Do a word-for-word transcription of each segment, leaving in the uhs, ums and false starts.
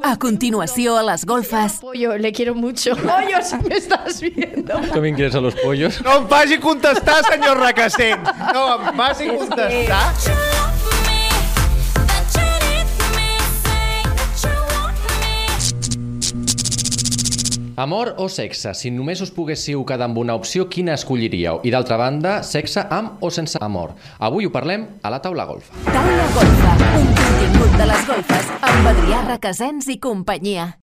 A continuació, a les golfes... Pollo, le quiero mucho. Pollo, si me estás viendo. Com ingrés a los pollos? No em faci contestar, senyor Requesens. No em faci contestar. Amor o sexe? Si només us poguéssiu quedar amb una opció, quina escolliríeu? I d'altra banda, sexe amb o sense amor? Avui ho parlem a la Taula Golfa. Taula Golfa, un contingut de les golfes amb Adrià Requesens i companyia.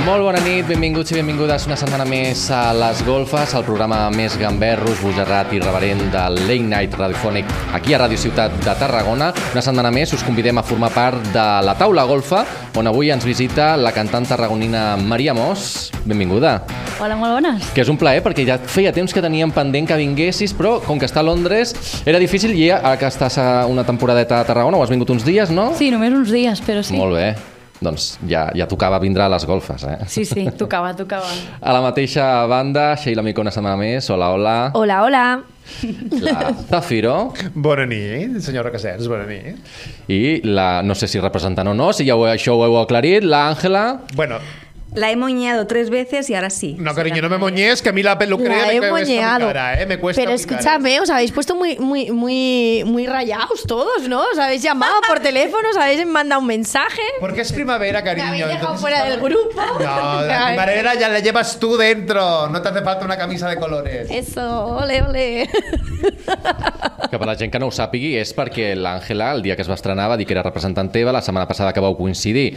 Molt bona nit, benvinguts i benvingudes una setmana més a Les Golfes, el programa més gamberro, esbojarrat i irreverent del Late Night radiofònic aquí a Ràdio Ciutat de Tarragona. Una setmana més us convidem a formar part de la Taula Golfa, on avui ens visita la cantant tarragonina Maria Mos. Benvinguda. Hola, molt bones. Que és un plaer, perquè ja feia temps que teníem pendent que vinguessis, però com que està a Londres era difícil i ara que estàs a una temporadeta a Tarragona, ho has vingut uns dies, no? Sí, només uns dies, però sí. Molt bé. Doncs ja, ja tocava vindre a les golfes, eh? Sí, sí, tocava, tocava. A la mateixa banda, Sheila Mico una setmana més. Hola, hola. Hola, hola. La Zafiro. Bona nit, senyor Requesens, bona nit. I la, no sé si representant o no, si ja ho, això ho heu aclarit, la Àngela. Bueno... La he moñeado tres veces y ahora sí. No, cariño, no me moñes, que a mí la peluquería me cuesta mi cara, ¿eh? Me cuesta Pero mi escúchame, cara. os habéis puesto muy, muy, muy, muy rayados todos, ¿no? Os habéis llamado por teléfono, os habéis mandado un mensaje. Porque es primavera, cariño. Me habéis dejado entonces fuera del grupo. No, la primavera ya la llevas tú dentro. No te hace falta una camisa de colores. Eso, ole, ole. Que per la gent que no ho sàpigui és perquè l'Àngela, el dia que es va estrenar, va dir que era representant teva. La setmana passada que vau coincidir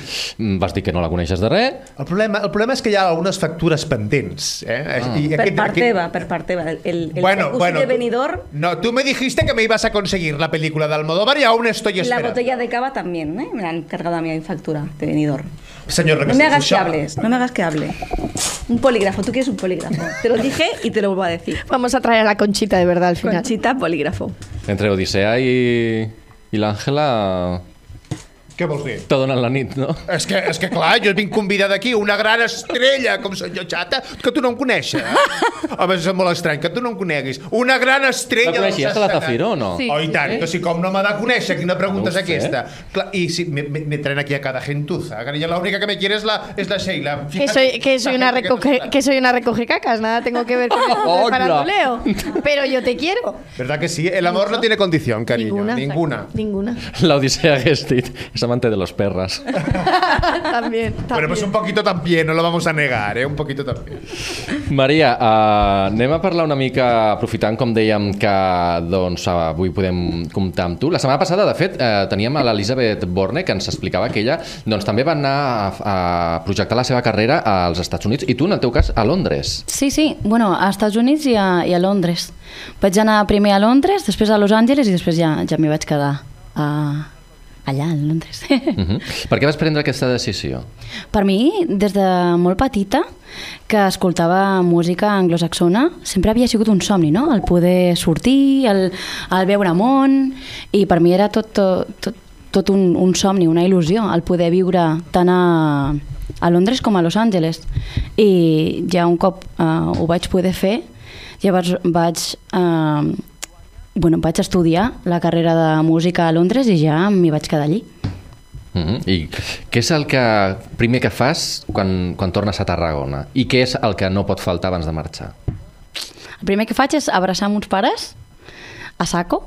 vas dir que no la coneixes de res. El problema, el problema és que hi ha algunes factures pendents. Eh? Ah. I Per aquest- part aquest- teva, per part teva. El, el Bueno, jacuzzi bueno, de tú- Benidorm, No, tú me dijiste que me ibas a conseguir la película de Almodóvar y aún estoy la esperando. botella de cava también, ¿eh? Me la han cargado a mi factura de Benidorm. Señor No Requesens, me hagas que això- hables, no me hagas que hable. Un polígrafo, tú quieres un polígrafo. Te lo dije y te lo vuelvo a decir. Vamos a traer a la Conchita de verdad al final. Conchita, polígrafo. Entre Odissea i, i l'Àngela Què vols dir? t'ha donat la nit, no? És que, és que clar, jo vinc convidada aquí, una gran estrella, com senyor Xata, que tu no em coneixes. Eh? Home, és molt estrany, que tu no em coneguis. Una gran estrella... La coneixies, dels la escenaris. Zafiro, o no? Sí. Oh, i tant, que si com no m'ha de conèixer, quina pregunta No ho és aquesta? sé. Clar, I si me, me, me traen aquí a cada gentuza, cariño, la única que me quiere es la, es la Sheila. Que soy, que, soy una recoge, que soy una recoge cacas, nada tengo que ver con el Hola. faranduleo. Pero yo te quiero. ¿Verdad que sí? El amor no tiene condición, cariño. Ninguna. Ninguna. Ninguna. La Odissea hagués dit, és amante de los perras. También, también. Bueno, pues un poquito también, no lo vamos a negar, ¿eh? Un poquito también. Maria, uh, anem a parlar una mica, aprofitant, com dèiem, que doncs, avui podem comptar amb tu. La setmana passada, de fet, uh, teníem a l'Elisabeth Borne, que ens explicava que ella doncs, també va anar a, a projectar la seva carrera als Estats Units, i tu, en el teu cas, a Londres. Sí, sí, bueno, a Estats Units i a, i a Londres. Vaig anar primer a Londres, després a Los Angeles i després ja, ja m'hi vaig quedar a, allà, a Londres. Uh-huh. Per què vas prendre aquesta decisió? Per mi, des de molt petita, que escoltava música anglosaxona, sempre havia sigut un somni, no? El poder sortir, el, el veure món, i per mi era tot, tot, tot, tot un, un somni, una il·lusió, el poder viure tant a, a Londres com a Los Angeles. I ja un cop uh, ho vaig poder fer, llavors vaig... Uh, bueno, vaig estudiar la carrera de música a Londres i ja m'hi vaig quedar allí. Uh-huh. I què és el que primer que fas quan, quan tornes a Tarragona? I què és el que no pot faltar abans de marxar? El primer que faig és abraçar mons pares a saco,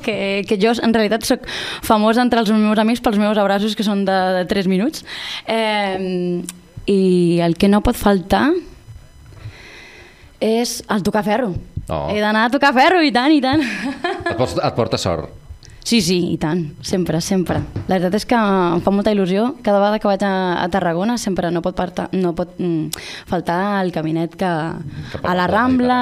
que, que jo en realitat soc famosa entre els meus amics pels meus abraços, que són de, de tres minuts. Eh, I el que no pot faltar és el tocar ferro. Oh. He d'anar a tocar ferro, i tant, i tant. Et, pots, et porta sort. Sí, sí, i tant, sempre, sempre. La veritat és que em fa molta il·lusió. Cada vegada que vaig a, a Tarragona sempre no pot, parta, no pot mm, faltar el caminet que, a la Rambla,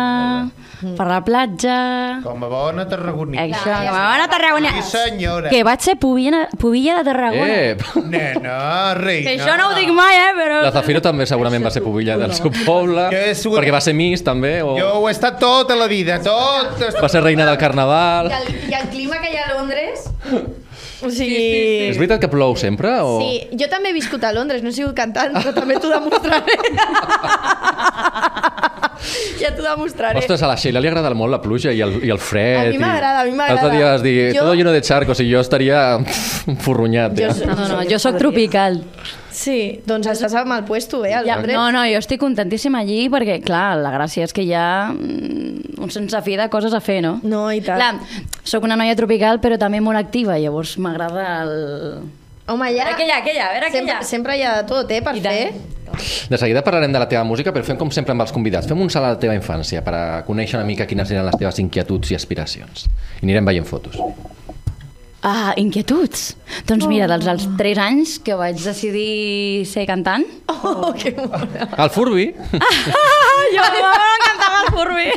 per la platja... Com a bona tarragonina. Això, com a bona Tarragona. Sí, senyora. Que vaig ser pubilla, pubilla de Tarragona. Eh! Nena, reina. Que això no ho dic mai, eh, però... La Zafiro també segurament va ser pubilla del seu poble, Jo he sigut- perquè va ser Miss també, o Jo ho he estat tota la vida, tot... va ser reina del carnaval. I el, I el clima que hi ha a Londres... O sigui... Sí, sí, És veritat que plou sempre? O... Sí, jo també he viscut a Londres, no he sigut cantant, però també t'ho demostraré. Ja t'ho demostraré. Ostres, a la Sheila li agrada molt la pluja i el, i el fred. A mi m'agrada, a mi m'agrada. L'altre dia vas dir, Jo- todo lleno de charcos, i jo estaria furrunyat. Jo Ja. soc- No, no, jo sóc tropical. Sí, doncs estàs al mal puesto, eh, al Ja, Londres. no, no, jo estic contentíssima allí perquè, clar, la gràcia és que hi ha mm, un sense fi de coses a fer, no? No, i tant. Clar, sóc una noia tropical però també molt activa, llavors m'agrada el... Home, ja... A veure què hi ha, què hi ha, a veure què hi sempre, ha. sempre hi ha de tot, eh, per I tant. fer. De seguida parlarem de la teva música, però fem com sempre amb els convidats. Fem un salt a la teva infància per a conèixer una mica quines eren les teves inquietuds i aspiracions. I anirem veient fotos. Ah, inquietuds. Doncs mira, dels als tres anys que vaig decidir ser cantant. Oh, que bona. El Furby. Jo m'encantava el Furby.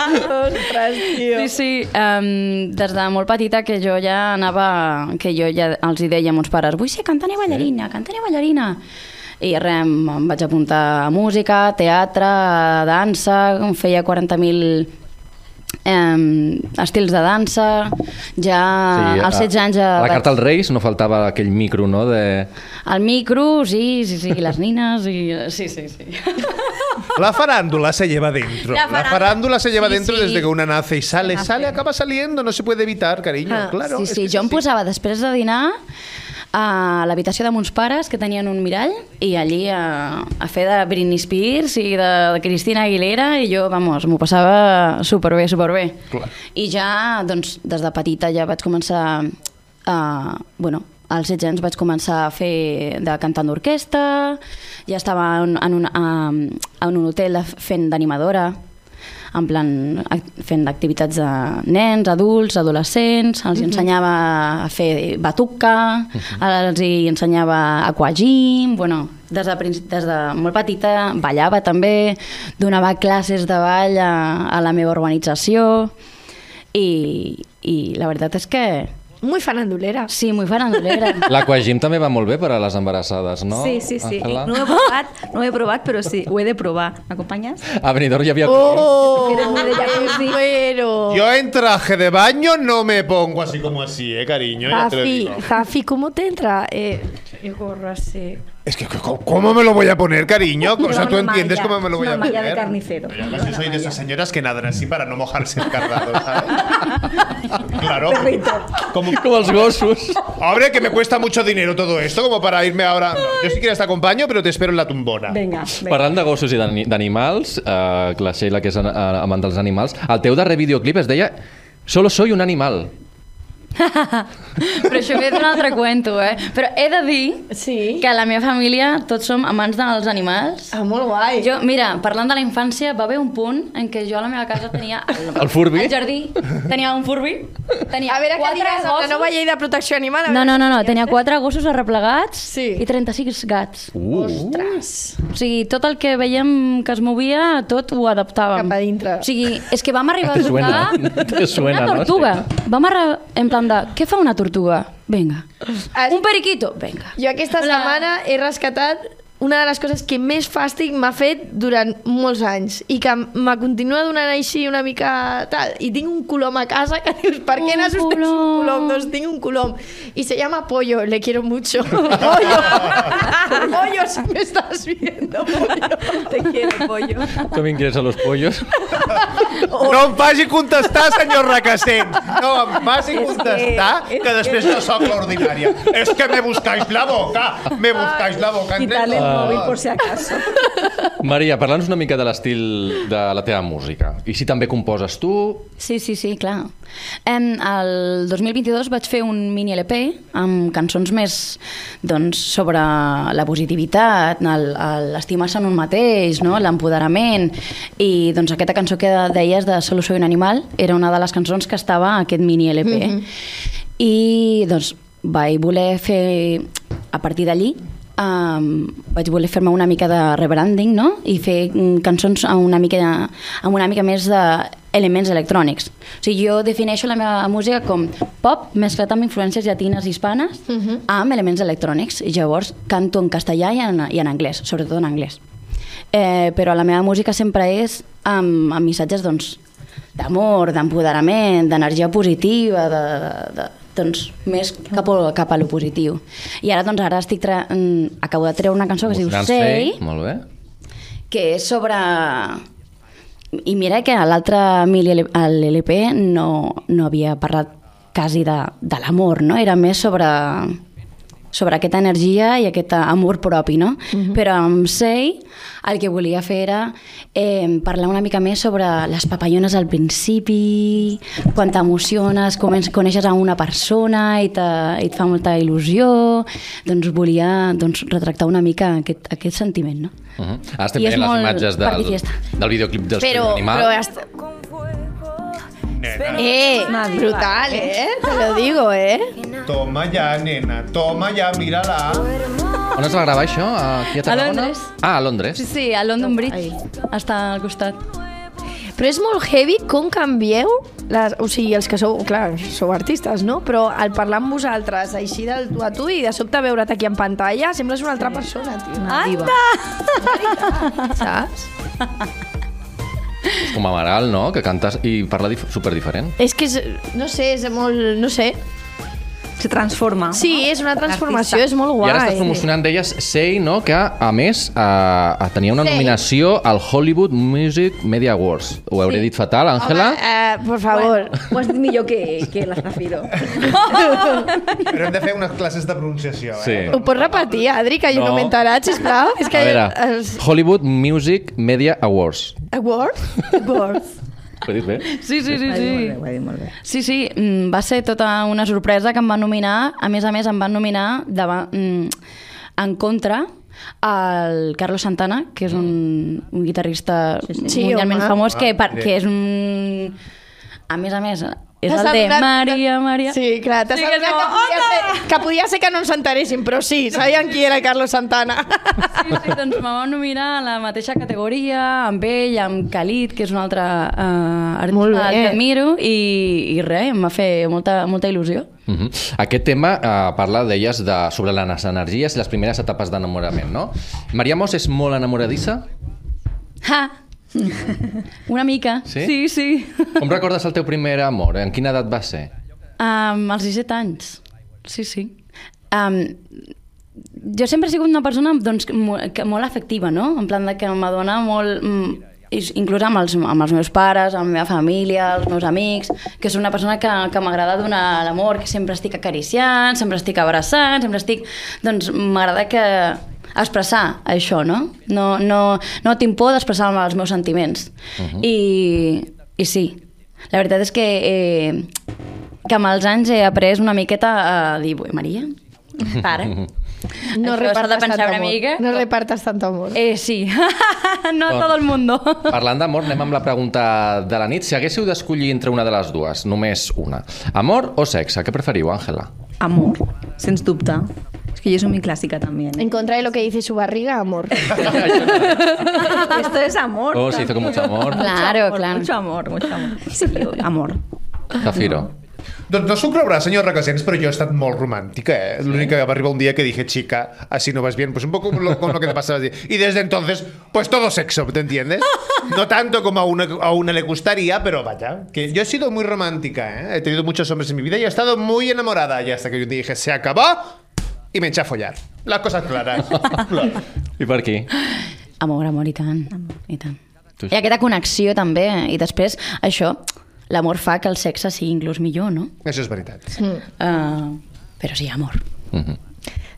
Ostres, tio. Sí, sí, um, des de molt petita que jo ja anava, que jo ja els hi deia a meus pares, vull ser cantant i ballarina, cantant i ballarina. I res, em vaig apuntar a música, teatre, a dansa, em feia quaranta mil eh, estils de dansa, ja sí, als setze anys... Ja a la vaig- carta als Reis no faltava aquell micro, no? De... El micro, sí, sí, sí, les nines, i... sí, sí, sí. La farándula se lleva dentro. La La farándula- farándula se lleva Sí, dentro sí. desde que una nace y sale, sale, acaba saliendo, no se puede evitar, cariño. Ah, claro. Sí, es sí, que es jo em así. posava després de dinar a l'habitació de mons pares que tenien un mirall i allí a, a fer de Britney Spears i de, de Cristina Aguilera i jo, vamos, m'ho passava superbé, superbé. Clar. I ja, doncs, des de petita ja vaig començar a... Bueno, als setze anys vaig començar a fer de cantant d'orquestra, ja estava en, en, un, a, en un hotel de- fent d'animadora, en plan ac- fent activitats de nens, adults, adolescents, els ensenyava a fer batuca, els hi ensenyava aquagym, bueno, des de, princi- des de molt petita ballava també, donava classes de ball a, a la meva urbanització i, i la veritat és que Muy farandulera. sí, muy farandulera. L'aquagym també va molt bé per a les embarassades, no? Sí, sí, sí. Àngela? No ho he provat, no ho he provat, però sí, ho he de provar. M'acompanyes? A Benidorm hi havia... Oh, Era muy de jacuzzi. pero... Yo en traje de baño no me pongo así como así, eh, cariño. Ya te lo Jafi, digo. Jafi, ¿cómo te entra eh, el gorro así? Es que, ¿cómo, cómo me lo voy a poner, cariño? O sea, Una tú entiendes malla, cómo me lo voy una a malla poner. de carnicero. Yo casi soy de esas señoras que nadan así para no mojarse el cardado, ¿sabes? Claro. Como, Com els gossos. hombre, que me cuesta mucho dinero todo esto, como para irme ahora. No, yo si quieres te acompaño, pero te espero en la tumbona. Vinga, vinga. Parlant de gossos i d'ani- d'animals, eh, la Sheila, que és an- eh, amant dels animals, el teu darrer videoclip es deia Solo soy un animal. Però això ve d'un altre cuento, eh? Però he de dir Sí. que a la meva família tots som amants dels animals. Ah, molt guai. Jo, mira, parlant de la infància, va haver un punt en què jo a la meva casa tenia... El Furby? Al jardí tenia un Furby. Tenia A veure què quatre diràs amb la gossos. nova llei de protecció animal. a No, veure no, no, què no, diràs. tenia quatre gossos arreplegats Sí. i trenta-sis gats. Uh, Ostres. O sigui, tot el que veiem que es movia, tot ho adaptàvem. Cap a dintre. O sigui, és que vam arribar Te a suena, trucar te suena, una no? tortuga. Vam arribar en plan de, què fa una tortuga? Venga. Has- Un periquito? Venga. Jo aquesta La- setmana he rescatat una de les coses que més fàstic m'ha fet durant molts anys i que me continua donant així una mica tal. I tinc un colom a casa que dius, per què Un n'has un colom. colom? Doncs tinc un colom. I se llama Pollo, le quiero mucho. Pollo, Pollo, si me estás viendo, Pollo. Te quiero, pollo. También quieres a los pollos. No em faci contestar, senyor Requesens. No em faci És contestar, que- que, després no sóc l'ordinària. És que me buscáis la boca. Me buscáis la boca. entre Quitarle el todos. móvil por si acaso. Maria, parla'ns una mica de l'estil de la teva música. I si també composes tu... Sí, sí, sí, clar. En el dos mil vint-i-dos vaig fer un mini L P amb cançons més doncs, sobre la positivitat, el- el- l'estimar-se en un mateix, no? L'empoderament. I doncs, aquesta cançó que deies de Solo soy un animal era una de les cançons que estava a aquest mini L P. Mm-hmm. I doncs, vaig voler fer, a partir d'allí, Um, vaig voler fer-me una mica de rebranding, no? I fer mm, cançons amb una mica, amb una mica més d'elements electrònics. O sigui, jo defineixo la meva música com pop mesclat amb influències llatines i hispanes uh-huh. amb elements electrònics. I llavors canto en castellà i en, i en anglès, sobretot en anglès. Eh, però la meva música sempre és amb, amb missatges doncs, d'amor, d'empoderament, d'energia positiva, de, de, de, doncs, més cap a, cap a lo positiu. I ara, doncs, ara estic tra... mm, acabo de treure una cançó que es diu Emocionant Say, Say, molt bé. que és sobre... I mira que a l'altre mili l'L P no, no havia parlat quasi de, de l'amor, no? Era més sobre, sobre aquesta energia i aquest amor propi, no? Uh-huh. Però amb Sei el que volia fer era eh, parlar una mica més sobre les papallones al principi, quan t'emociones, coneixes a una persona i, te, i et fa molta il·lusió, doncs volia doncs, retractar una mica aquest, aquest sentiment, no? Uh-huh. Ara estem veient les imatges del, del videoclip dels però, Animal. Però hasta... Eh, brutal, eh? Te lo digo, eh? Toma ja, nena, toma ja, mira-la. On es va gravar això? Aquí a A Tarragona? Londres. Ah, a Londres. Sí, sí, a London Bridge. Està al costat. Però és molt heavy com canvieu, les, o sigui, els que sou, clar, sou artistes, no? Però al parlar amb vosaltres, així del tu a tu, i de sobte veure't aquí en pantalla, sembles una altra persona, tio. Una diva. Saps? És com Amaral, no? Que cantes i parla dif super diferent. És que, és, no sé, és molt, no sé. Se transforma. Sí, és una transformació, és molt guai. I ara estàs promocionant d'elles Sei, no? Que, a més, eh, tenia una Sei. nominació al Hollywood Music Media Awards. Ho hauré dit fatal, Àngela? Home, eh, por favor. Bueno, ho has dit millor que, que la Zafiro. Però hem de fer unes classes de pronunciació, eh? Sí. Ho pots repetir, Adri, que jo no, No. m'he enterat, sisplau? És que A veure, els... Hollywood Music Media Awards. Awards? Awards. Ho he dit bé? Sí, sí, sí. Ho ha dit molt bé, sí. ho ha dit molt bé. Sí, sí, mm, va ser tota una sorpresa que em van nominar. A més a més, em van nominar davant, mm, en contra al Carlos Santana, que és un, un guitarrista Sí, sí. Sí, mundialment home. famós, que, per, Ah, que és un... A més a més, és T'has el de adonat- Maria, Maria... Sí, clar, t'has Sí, que adonat és que, com, podia ser, que podia ser que no ens enteréssim, però sí, sabien qui era Carlos Santana. Sí, sí, doncs me van nominar a la mateixa categoria, amb ell, amb Khalid, que és un altre uh, Molt artista bé. que admiro, i, i res, em va fer molta, molta il·lusió. Uh -huh. Aquest tema eh, parla, deies, de, sobre les energies i les primeres etapes d'enamorament, no? Maria Mos és molt enamoradissa? Ha! Una mica. Sí? Sí, sí. Com recordes el teu primer amor? En quina edat va ser? Um, als disset anys. Sí, sí. Um, jo sempre he sigut una persona doncs, mo- que, molt afectiva, no? En plan de que m'adona molt... mm, is- inclús amb els, amb els meus pares, amb la meva família, els meus amics, que soc una persona que, que m'agrada donar l'amor, que sempre estic acariciant, sempre estic abraçant, sempre estic... Doncs m'agrada que expressar això, no? No, no, no tinc por d'expressar els meus sentiments. Uh-huh. I, I sí, la veritat és que, eh, que amb els anys he après una miqueta a dir, "Ui, Maria, para". No Això s'ha de repartes tant pensar una amor. mica. No repartes tant amor. Eh, sí, no Doncs, tot el mundo. Parlant d'amor, anem amb la pregunta de la nit. Si haguéssiu d'escollir entre una de les dues, només una, amor o sexe, què preferiu, Àngela? Amor, sens dubte. És que jo soy muy clásica también. En contra de lo que dice su barriga, amor. Esto es amor. Oh, se hizo con mucho amor. Claro, Amor, claro. Mucho amor, mucho amor. Sí, yo- amor. Zafiro. Doncs no s'ho creurà, senyor Requesens, però jo he estat molt romàntica, eh? L'únic que va arribar un dia que dije, chica, así no vas bien, pues un poco lo, con lo que te pasaba. Y desde entonces, pues todo sexo, ¿te entiendes? No tanto como a una, a una le gustaría, pero vaya, que yo he sido muy romántica, ¿eh? He tenido muchos hombres en mi vida y he estado muy enamorada, y hasta que yo dije, se acabó, y me eché a follar. Las cosas claras. I per aquí? Amor, amor, i tant. I tant. Tu- I aquesta connexió també. I després, això, l'amor fa que el sexe sigui inclús millor, no? Això és veritat. Uh, però sí, amor. Uh-huh.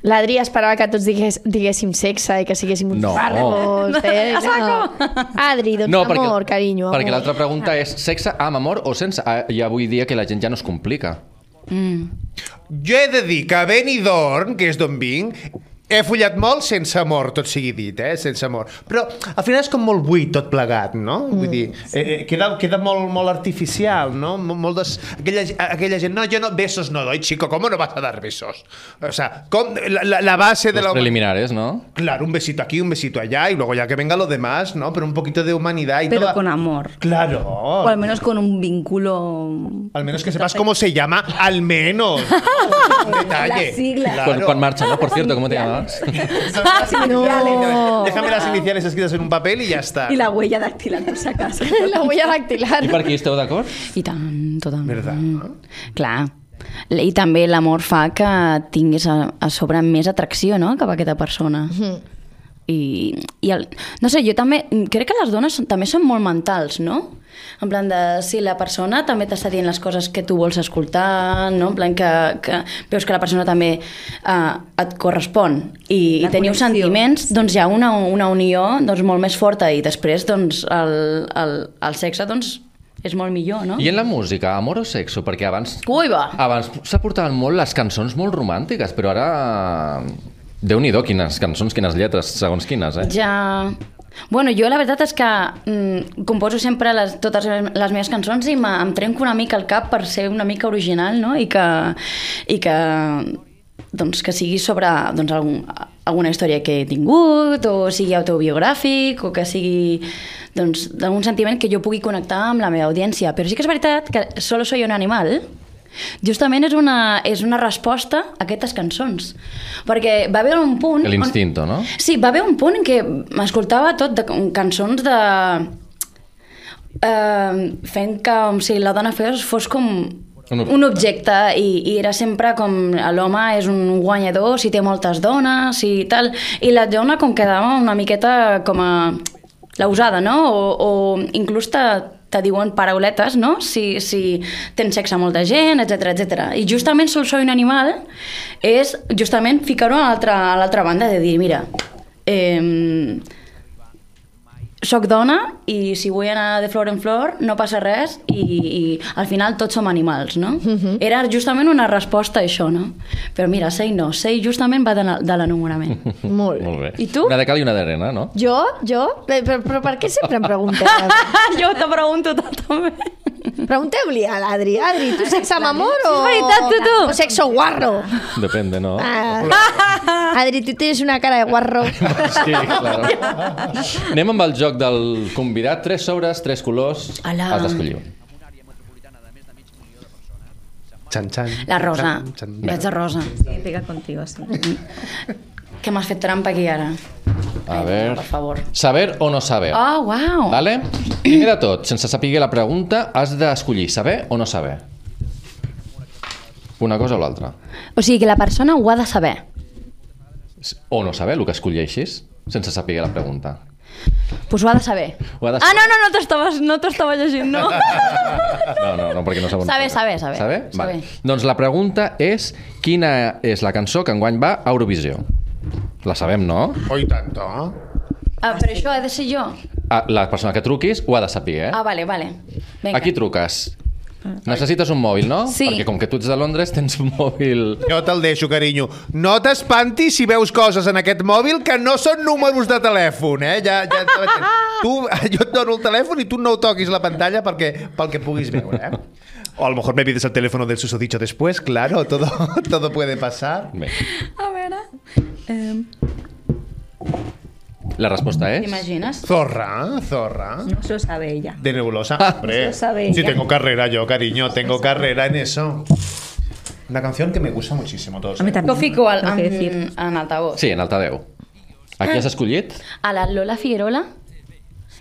L'Adri esperava que tots digués, diguéssim sexe i que siguéssim uns No. parros. Eh? No. Adri, doncs No, amor, carinyo, amor. perquè l'altra pregunta és sexe amb amor o sense? Ah, ja vull dir que la gent ja no es complica. Mm. Jo he de dir que a Benidorm, que és d'on vinc, he follat molt sense amor, tot sigui dit, eh? Sense amor. Però al final és com molt buit tot plegat, no? Vull dir, eh, eh, queda, queda molt, molt artificial, no? Molt, molt des... aquella, aquella gent, no, yo no, besos no doy, chico, ¿cómo no vas a dar besos? O sea, com, la, la, la base de Los la... preliminares, ¿no? Claro, un besito aquí, un besito allá, y luego ya que venga lo demás, ¿no? Pero un poquito de humanidad y Pero toda... con amor. Claro. O al menos con un vínculo... Al menos que sepas cómo se llama, al menos. Un detalle. Las siglas. Claro. Quan, quan marxa, ¿no? Por cierto, ¿cómo te llamas? Las iniciales. No. Déjame las iniciales escritas en un papel y ya está. Y la huella dactilar, por si acaso. La huella dactilar. I per aquí esteu d'acord? I tant, totalment. Verdad, no? Clar. I també l'amor fa que tinguis a, a sobre més atracció, no?, cap a aquesta persona. Mhm. i, i el, no sé, jo també crec que les dones són, també són molt mentals, no? En plan de, si la persona també t'està dient les coses que tu vols escoltar, no? En plan que, que veus que la persona també uh, et correspon i, i teniu connexió. sentiments, doncs hi ha una, una unió doncs, molt més forta i després doncs, el, el, el sexe doncs, és molt millor, no? I en la música, amor o sexo? Perquè abans... Ui, va! Abans s'aportaven molt les cançons molt romàntiques, però ara... Déu-n'hi-do, quines cançons, quines lletres, segons quines, eh? Ja... Bueno, jo la veritat és que mm, composo sempre les, totes les meves cançons i em trenco una mica el cap per ser una mica original, no? I que, i que, doncs, que sigui sobre doncs, algun, alguna història que he tingut, o sigui autobiogràfic, o que sigui doncs, d'algun sentiment que jo pugui connectar amb la meva audiència. Però sí que és veritat que Solo soy un animal justament és una, és una resposta a aquestes cançons. Perquè va haver un punt... L'instinto, no? Sí, va haver un punt en què m'escoltava tot de cançons de... Eh, fent que com si la dona fos, fos com un, un objecte i, i era sempre com l'home és un guanyador si té moltes dones i tal, i la dona com quedava una miqueta com a la usada, no? O, o inclús te, te diuen parauletes, no? Si, si tens sexe amb molta gent, etcètera, etcètera. I justament Solo soy un animal és justament ficar-ho a l'altra banda de dir, mira, eh, soc dona i si vull anar de flor en flor no passa res i, i al final tots som animals, no? Uh-huh. Era justament una resposta a això, no? Però mira, Sei no, Sei justament va de, de l'enamorament. Molt bé. Molt bé. I tu? Una de cal i una d'arena, no? Jo? Jo? Però, però per què sempre em pregunteu? Jo te pregunto tot, també. Pregunteu-li a l'Adri. Adri, tu sexe amb amor o... És veritat, tu, tu. O sexo guarro? Depende, no? Ah. Adri, tu tens una cara de guarro. Sí, claro. Anem amb el joc del convidat. Tres sobres, tres colors. Ala. Has d'escollir un. Xan, xan. La rosa. Xan, xan. Vaig de rosa. Sí, pega contigo, sí. Que m'has fet trampa aquí ara. A ver... Per favor. Saber o no saber. Oh, uau. Vale? Primer de tot, sense saber la pregunta, has d'escollir saber o no saber. Una cosa o l'altra. O sigui que la persona ho ha de saber. O no saber, el que escolleixis, sense saber la pregunta. Pues ho ha de saber. Ho ha de Ah, saber. no, no, no t'estava no t'estava llegint, no. No, no, no, perquè no sabem. Saber, saber, saber. Saber? Saber. Vale. Doncs la pregunta és quina és la cançó que enguany va a Eurovisió? La sabem, no? Oi tanto. Ah, però això ha de ser jo. Ah, la persona que truquis ho ha de saber, eh? Ah, vale, vale. Vinga. A qui truques? Necessites un mòbil, no? Sí. Perquè com que tu ets de Londres tens un mòbil... Jo te'l deixo, carinyo. No t'espantis si veus coses en aquest mòbil que no són números de telèfon, eh? Ja, ja, tu, jo et dono el telèfon i tu no toquis la pantalla perquè, pel que puguis veure, eh? O a lo mejor me pides el teléfono del susodicho después, claro, todo, todo puede pasar. Bé. A veure... Eh... La resposta és... T'imagines? Zorra, zorra. No se lo sabe ella. De nebulosa. Hombre, Eso sabe si ella. tengo carrera yo, cariño, tengo carrera en eso. Una canción que me gusta muchísimo, todos. A mí ¿eh? también. Ho fico al, tengo que en, decir. en altavoz. Sí, en altaveu. A qui has escollit? A la Lola Figuerola,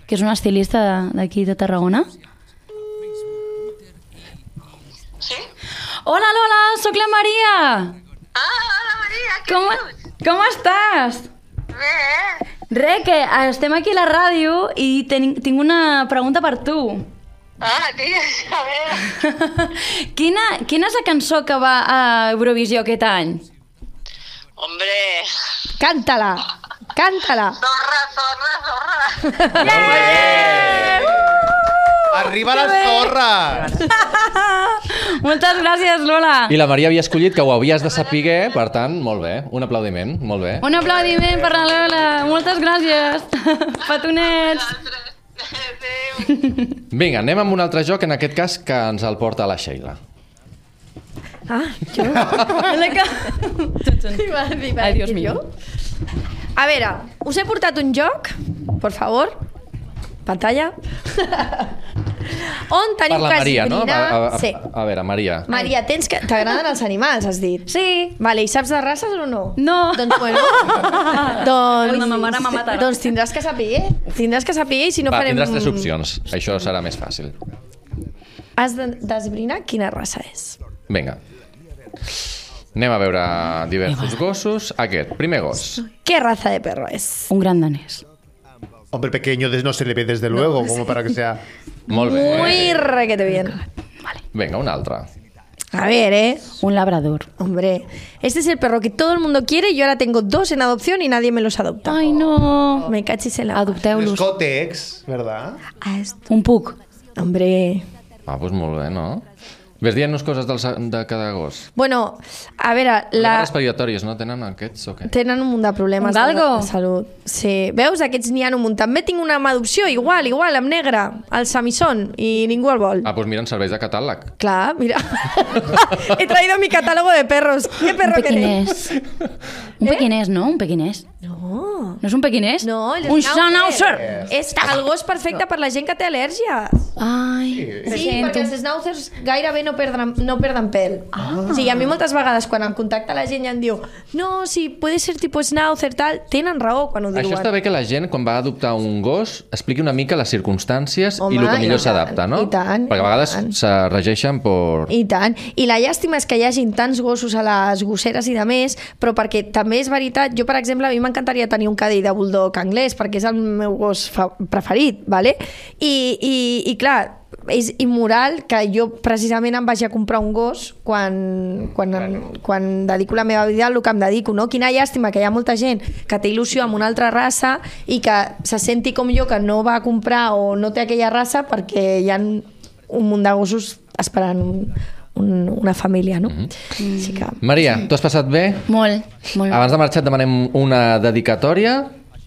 que és una estilista d'aquí de Tarragona. Sí? Hola, Lola, sóc la Maria. Ah, hola Maria, què Com, dius? com estàs? Bé. Re, que estem aquí a la ràdio i ten, tinc una pregunta per tu. Ah, digues, a veure. quina, quina és la cançó que va a Eurovisió aquest any? Hombre, Canta-la. Canta-la. zorra, zorra, zorra. Arriba les torres! Moltes gràcies, Lola. I la Maria havia escollit que ho havies de saber, per tant, molt bé. Un aplaudiment, molt bé. Un aplaudiment per la Lola. Moltes gràcies. Petonets. Adéu. Vinga, anem amb un altre joc, en aquest cas que ens el porta la Sheila. Ah, jo? Ai, Dios mío. A veure, us he portat un joc, por favor, pantalla, on Per teniu la que Maria, no? esbrinar... A, a, a, Sí. a veure, Maria. Maria, tens que... t'agraden els animals, has dit? Sí. Vale, i saps de races o no? No. Doncs, bueno, doncs, Ui, ma mare m'ha matat. doncs tindràs que saber, tindràs que saber i si no Va, farem... tindràs tres opcions. Això serà més fàcil. Has de- d'esbrinar quina raça és. Vinga. Anem a veure diversos gossos. Aquest, primer gos. ¿Qué raza de perro es? Un gran danés. Hombre pequeño des- no se le ve desde luego, como para que sea... Molt bé. Muy requete bien. Vinga, un altre. A ver, ¿eh? Un labrador. Hombre, este es el perro que todo el mundo quiere y yo ahora tengo dos en adopción y nadie me los adopta. Ai, no. Me cachis en la... Los Adopteu-los. còtex, ¿verdad? Ah, esto. Un puc. Hombre... Ah, doncs molt bé, no? Ves dient-nos coses del, de cada gos. Bueno, a veure, La... la... respiratoris, no? Tenen aquests o què? Tenen un munt de problemes Un galgo? de salut. Sí. Veus? Aquests n'hi ha un munt. També tinc una amb adopció, igual, igual, amb negre, el Samison, i ningú el vol. Ah, doncs mira, en serveis de catàleg. Clar, mira. He traído mi catálogo de perros. ¿Qué Un perro queréis? pequinès. Un pequinès, no? Un pequinès. No. No és un pequinès? No, el Un schnauzer. schnauzer. És el gos perfecte per la gent que té al·lèrgies. Ai, Sí, perquè els schnauzers gairebé no perden, no perden pèl. Ah. O sigui, a mi moltes vegades quan em contacta la gent i em diu no, si puede ser tipo schnauzer, tal, tenen raó quan ho diuen. Això està bé que la gent, quan va adoptar un gos, expliqui una mica les circumstàncies Home, i el que i millor tant, s'adapta, no? i tant, Perquè a i vegades tant. se regeixen per... I tant. I la llàstima és que hi hagin tants gossos a les gosseres i de més, però perquè també és veritat, jo per exemple, a mi m'encantaria tenir un cadell de bulldog anglès, perquè és el meu gos fa preferit, ¿vale? I, i, i clar, és immoral que jo precisament em vagi a comprar un gos quan, quan, em, quan dedico la meva vida al que em dedico, no? Quina llàstima que hi ha molta gent que té il·lusió amb una altra raça i que se senti com jo que no va a comprar o no té aquella raça perquè hi ha un munt de gossos esperant un, un, una família, no? Mm-hmm. Així que... Maria, tu has passat bé? molt, molt. Abans de marxar et demanem una dedicatòria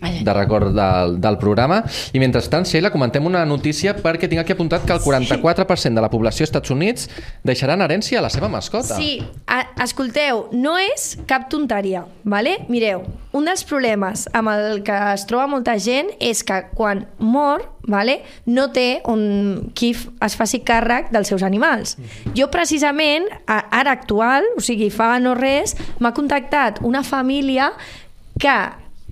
de record del, del programa i mentrestant, Sheila, comentem una notícia perquè tinc aquí apuntat que el quaranta-quatre per cent de la població als Estats Units deixarà en herència a la seva mascota. Sí, a, escolteu, no és cap tonteria, ¿vale? Mireu, un dels problemes amb el que es troba molta gent és que quan mor, ¿vale? No té un, qui f- es faci càrrec dels seus animals. Jo precisament, a, ara actual, o sigui, fa no res, m'ha contactat una família que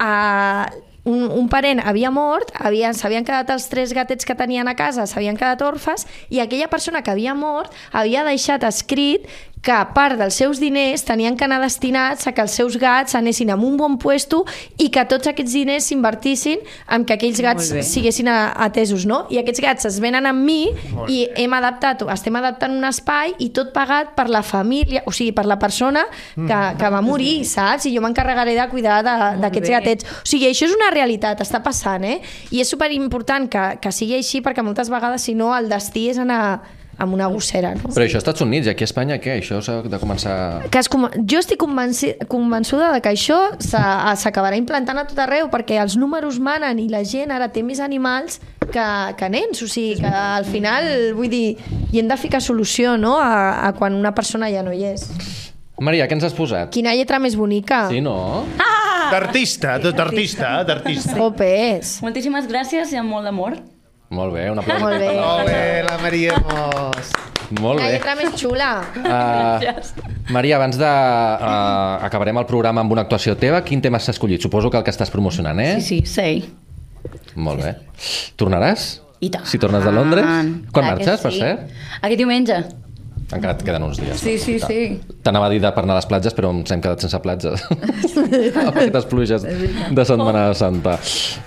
Uh, un, un parent havia mort, havien, s'havien quedat els tres gatets que tenien a casa, s'havien quedat orfes, i aquella persona que havia mort havia deixat escrit que part dels seus diners tenien que anar destinats a que els seus gats anessin a un bon puesto i que tots aquests diners s'invertissin en que aquells gats siguessin a, atesos, no? I aquests gats es venen amb mi i hem adaptat, estem adaptant un espai i tot pagat per la família, o sigui, per la persona que, que va morir, saps? I jo m'encarregaré de cuidar de- d'aquests gatets. O sigui, això és una realitat, està passant, eh? I és superimportant que, que sigui així perquè moltes vegades, si no, el destí és anar amb una gossera, no? Però això als Estats Units, i aquí a Espanya què? Això s'ha de començar... Que es, com- jo estic convenci, convençuda de que això s'ha- s'acabarà implantant a tot arreu perquè els números manen i la gent ara té més animals que, que nens, o sigui que al final, vull dir, hi hem de ficar solució, no?, a, a quan una persona ja no hi és. Maria, què ens has posat? Quina lletra més bonica. Sí, no? D'artista, d'artista, d'artista. Jopes. Moltíssimes gràcies i amb molt d'amor. Molt bé, un aplaudiment. Molt bé. Molt bé, la Maria Mos. Molt La bé. lletra més xula. Uh, Maria, abans de... Uh, acabarem el programa amb una actuació teva. Quin tema has escollit? Suposo que el que estàs promocionant, eh? Sí, sí, sei. Molt bé. Tornaràs? I tant. Si tornes de Londres? Quan Clar que marxes, per sí. cert? Aquest diumenge. Encara et queden uns dies. Sí, sí, Tal. sí. T'anava a dir de per anar a les platges, però ens hem quedat sense platges. Amb aquestes pluges de Setmana Santa.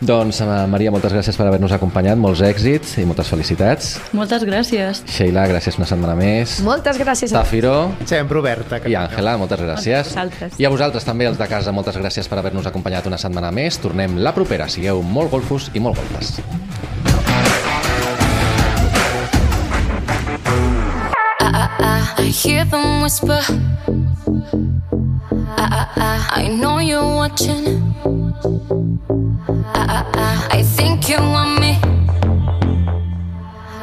Doncs, eh, Maria, moltes gràcies per haver-nos acompanyat, molts èxits i moltes felicitats. Moltes gràcies. Sheila, gràcies una setmana més. Moltes gràcies a Tafiro Sempre oberta. i Àngela, moltes gràcies. vosaltres. I a vosaltres també, els de casa, moltes gràcies per haver-nos acompanyat una setmana més. Tornem la propera. Sigueu molt golfos i molt golfes. I hear them whisper. I, I, I, I know you're watching. I, I, I, I think you want me.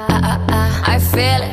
I, I, I, I feel it.